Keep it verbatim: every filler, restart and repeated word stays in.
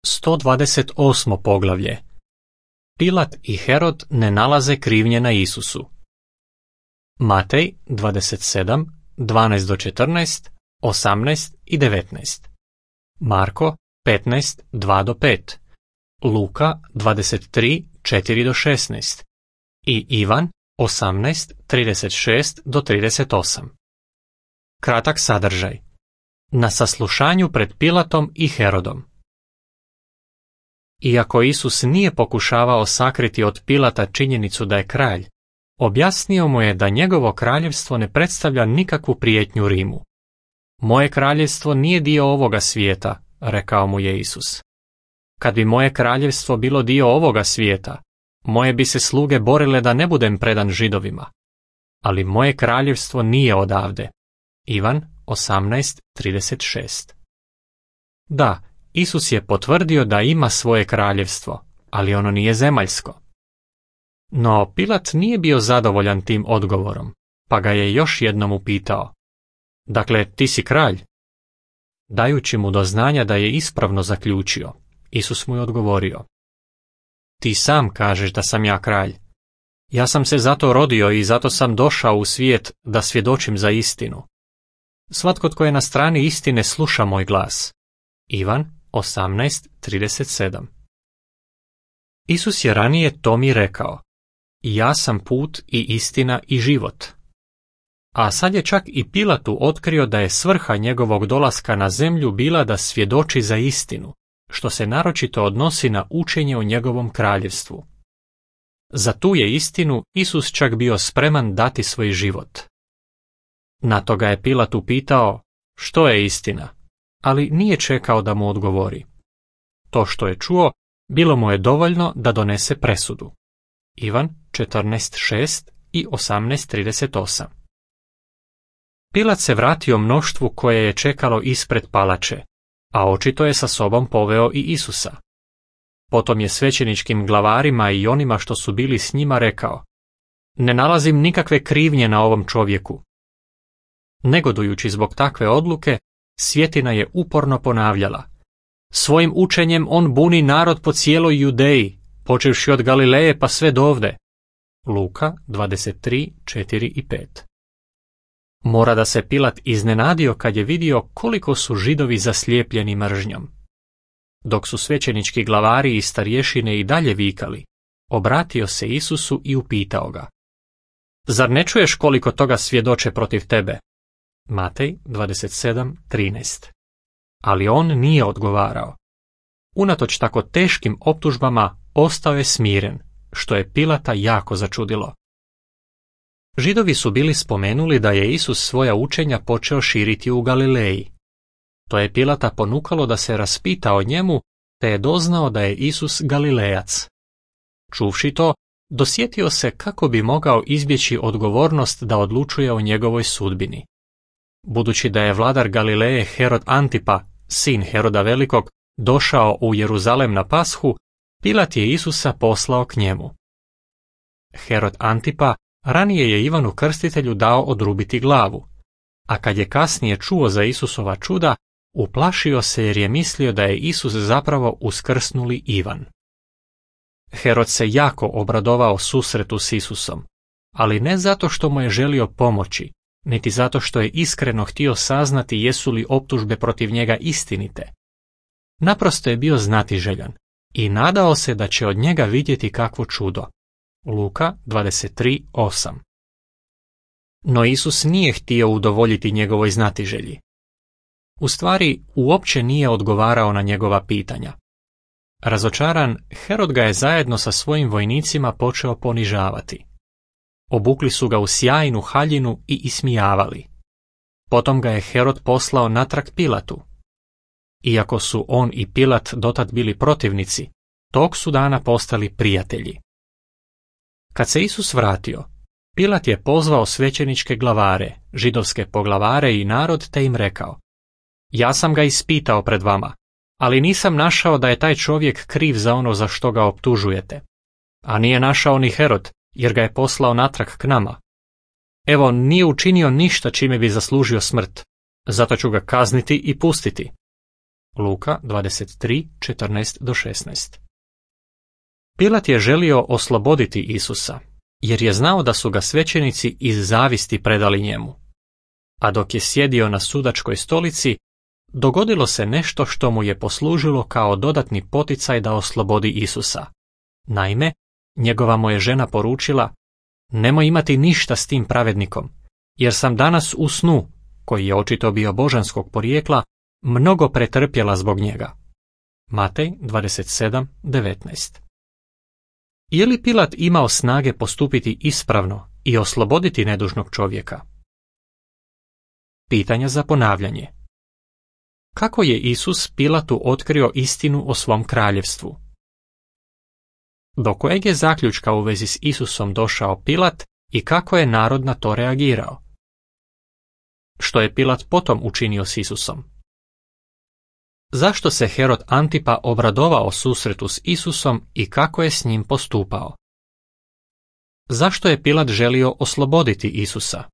sto dvadeset osmo poglavlje. Pilat i Herod ne nalaze krivnje na Isusu. Matej dvadeset sedam, dvanaest do četrnaest, osamnaest i devetnaest. Marko petnaest, dva do pet. Luka dvadeset tri, četiri do šesnaest. I Ivan osamnaest, trideset šest do trideset osam. Kratak sadržaj. Na saslušanju pred Pilatom i Herodom. Iako Isus nije pokušavao sakriti od Pilata činjenicu da je kralj, objasnio mu je da njegovo kraljevstvo ne predstavlja nikakvu prijetnju Rimu. Moje kraljevstvo nije dio ovoga svijeta, rekao mu je Isus. Kad bi moje kraljevstvo bilo dio ovoga svijeta, moje bi se sluge borile da ne budem predan Židovima. Ali moje kraljevstvo nije odavde. Ivan osamnaest, trideset šest. Da, Isus je potvrdio da ima svoje kraljevstvo, ali ono nije zemaljsko. No Pilat nije bio zadovoljan tim odgovorom, pa ga je još jednom upitao. Dakle, ti si kralj? Dajući mu do znanja da je ispravno zaključio, Isus mu je odgovorio. Ti sam kažeš da sam ja kralj. Ja sam se zato rodio i zato sam došao u svijet da svjedočim za istinu. Svatko tko je na strani istine sluša moj glas. Ivan osamnaest, trideset sedam. Isus je ranije Tomi rekao, ja sam put i istina i život. A sad je čak i Pilatu otkrio da je svrha njegovog dolaska na zemlju bila da svjedoči za istinu, što se naročito odnosi na učenje o njegovom kraljevstvu. Za tu je istinu Isus čak bio spreman dati svoj život. Na to ga je Pilat upitao, što je istina, ali nije čekao da mu odgovori. To što je čuo, bilo mu je dovoljno da donese presudu. Ivan četrnaest, šest i osamnaest, trideset osam. Pilat se vratio mnoštvu koje je čekalo ispred palače, a očito je sa sobom poveo i Isusa. Potom je svećeničkim glavarima i onima što su bili s njima rekao, ne nalazim nikakve krivnje na ovom čovjeku. Negodujući zbog takve odluke, Svjetina je uporno ponavljala. Svojim učenjem on buni narod po cijeloj Judeji, počevši od Galileje pa sve dovde. Luka dvadeset tri, četiri i pet. Mora da se Pilat iznenadio kad je vidio koliko su Židovi zaslijepljeni mržnjom. Dok su svećenički glavari i starješine i dalje vikali, obratio se Isusu i upitao ga. Zar ne čuješ koliko toga svjedoče protiv tebe? Matej dvadeset sedam, trinaest. Ali on nije odgovarao. Unatoč tako teškim optužbama ostao je smiren, što je Pilata jako začudilo. Židovi su bili spomenuli da je Isus svoja učenja počeo širiti u Galileji. To je Pilata ponukalo da se raspita o njemu, te je doznao da je Isus Galilejac. Čuvši to, dosjetio se kako bi mogao izbjeći odgovornost da odlučuje o njegovoj sudbini. Budući da je vladar Galileje Herod Antipa, sin Heroda Velikog, došao u Jeruzalem na Pashu, Pilat je Isusa poslao k njemu. Herod Antipa ranije je Ivanu Krstitelju dao odrubiti glavu, a kad je kasnije čuo za Isusova čuda, uplašio se jer je mislio da je Isus zapravo uskrsnuli Ivan. Herod se jako obradovao susretu s Isusom, ali ne zato što mu je želio pomoći, niti zato što je iskreno htio saznati jesu li optužbe protiv njega istinite. Naprosto je bio znatiželjan i nadao se da će od njega vidjeti kakvo čudo. Luka dvadeset tri, osam. No Isus nije htio udovoljiti njegovoj znatiželji. U stvari, uopće nije odgovarao na njegova pitanja. Razočaran, Herod ga je zajedno sa svojim vojnicima počeo ponižavati. Obukli su ga u sjajnu haljinu i ismijavali. Potom ga je Herod poslao natrag Pilatu. Iako su on i Pilat dotad bili protivnici, tog su dana postali prijatelji. Kad se Isus vratio, Pilat je pozvao svećeničke glavare, židovske poglavare i narod te im rekao, ja sam ga ispitao pred vama, ali nisam našao da je taj čovjek kriv za ono za što ga optužujete. A nije našao ni Herod, jer ga je poslao natrag k nama. Evo, nije učinio ništa čime bi zaslužio smrt, zato ću ga kazniti i pustiti. Luka dvadeset tri, četrnaest do šesnaest. Pilat je želio osloboditi Isusa, jer je znao da su ga svećenici iz zavisti predali njemu. A dok je sjedio na sudačkoj stolici, dogodilo se nešto što mu je poslužilo kao dodatni poticaj da oslobodi Isusa. Naime, njegova mu je žena poručila: nemoj imati ništa s tim pravednikom, jer sam danas u snu, koji je očito bio božanskog porijekla, mnogo pretrpjela zbog njega. Matej dvadeset sedam, devetnaest. Je li Pilat imao snage postupiti ispravno i osloboditi nedužnog čovjeka? Pitanja za ponavljanje. Kako je Isus Pilatu otkrio istinu o svom kraljevstvu? Do kojeg je zaključka u vezi s Isusom došao Pilat i kako je narod na to reagirao? Što je Pilat potom učinio s Isusom? Zašto se Herod Antipa obradovao susretu s Isusom i kako je s njim postupao? Zašto je Pilat želio osloboditi Isusa?